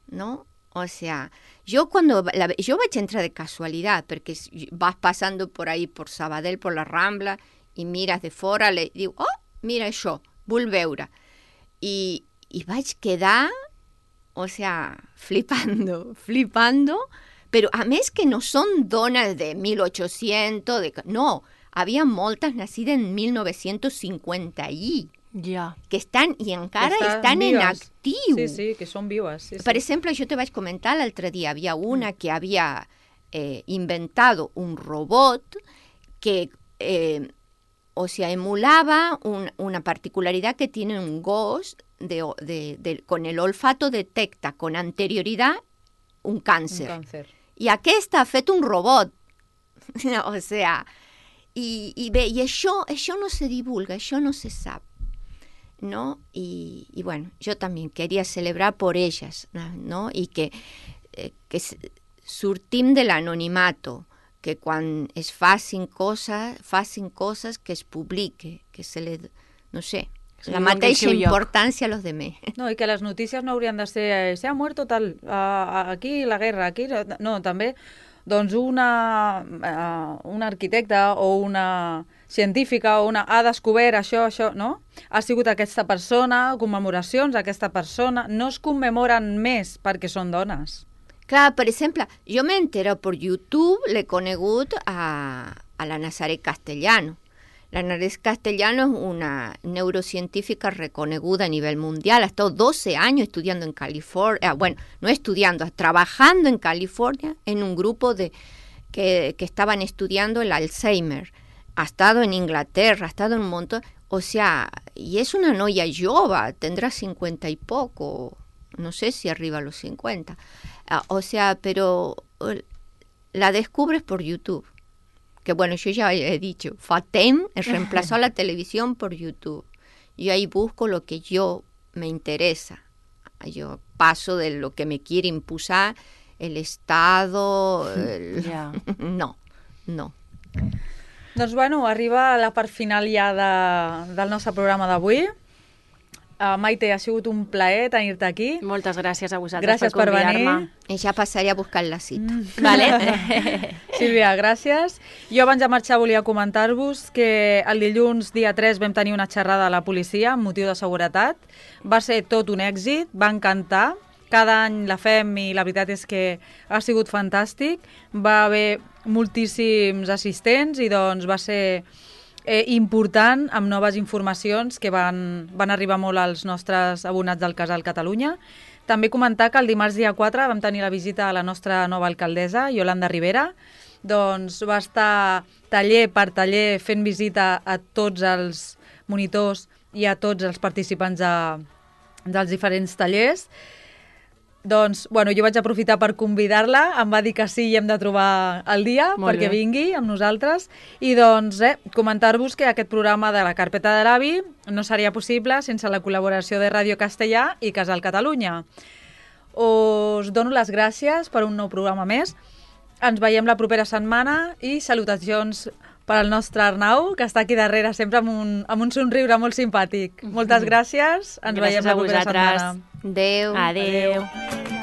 ¿No? O sea, yo vaig entrar de casualidad, porque vas pasando por ahí, por Sabadell, por la Rambla, y miras de fora, le diu, oh, mira això, vull veure. I vaig quedar, o sea, flipando, però a més que no són dones de 1800, no, havia moltes nacides en 1950 que estan, i encara estan en actiu. Sí, sí, que són vives. Sí, per exemple, jo te vaig comentar l'altre dia, havia una que havia inventado un robot que, o sea, emulaba una particularidad que tiene un gos, con el olfato detecta con anterioridad un càncer. I aquesta ha fet un robot. O sea, i això no se divulga, això no se sap. ¿No? Y bueno, yo también quería celebrar por ellas, ¿no? Y que surtim de l'anonimato, que quan es facin coses que es publique, que se le, no sé, sí, la mateixa importància a los demés. No, i que les notícies no haurien de ser se ha muerto tal, aquí la guerra, aquí... No, també, doncs un arquitecte o una científica o ha descobert això, no? Ha sigut aquesta persona, commemoracions d'aquesta persona, no es commemoren més perquè són dones. Clar, per exemple, jo m'he enterat per YouTube, l'he conegut a la Nazaret Castellano. La Nazaret Castellano es una neurocientífica reconeguda a nivel mundial. Ha estado 12 años estudiando en California, bueno, no estudiando, trabajando en California en un grupo que estaban estudiando el Alzheimer. Ha estado en Inglaterra, ha estado en un montón, o sea, y es una noia jove, tendrá 50 y poco, no sé si arriba a los 50, o sea, pero la descubres por YouTube, que bueno, yo ya he dicho, FATEM reemplazó a la televisión por YouTube, yo ahí busco lo que yo me interesa, yo paso de lo que me quiere impulsar el Estado, no. Doncs bueno, arriba la part final ja del nostre programa d'avui. Maite, ha sigut un plaer tenir-te aquí. Moltes gràcies a vosaltres Gràcies per per convidar-me. venir. I ja passaré a buscar la cita. Vale? Sílvia, gràcies. Jo abans de marxar volia comentar-vos que el dilluns, dia 3, vam tenir una xerrada a la policia amb motiu de seguretat. Va ser tot un èxit, va encantar. Cada any la fem i la veritat és que ha sigut fantàstic. Va haver moltíssims assistents i doncs va ser important amb noves informacions que van arribar molt als nostres abonats del Casal Catalunya. També comentar que el dimarts dia 4 vam tenir la visita a la nostra nova alcaldessa, Yolanda Rivera. Doncs va estar taller per taller fent visita a tots els monitors i a tots els participants dels diferents tallers. Doncs, bueno, jo vaig aprofitar per convidar-la, em va dir que sí i hem de trobar el dia perquè vingui amb nosaltres. I doncs, comentar-vos que aquest programa de la Carpeta de l'Avi no seria possible sense la col·laboració de Ràdio Castellà i Casal Catalunya. Us dono les gràcies per un nou programa més. Ens veiem la propera setmana i salutacions per al nostre Arnau, que està aquí darrere sempre amb un somriure molt simpàtic. Moltes gràcies. Ens veiem la propera setmana. Adéu. Adéu.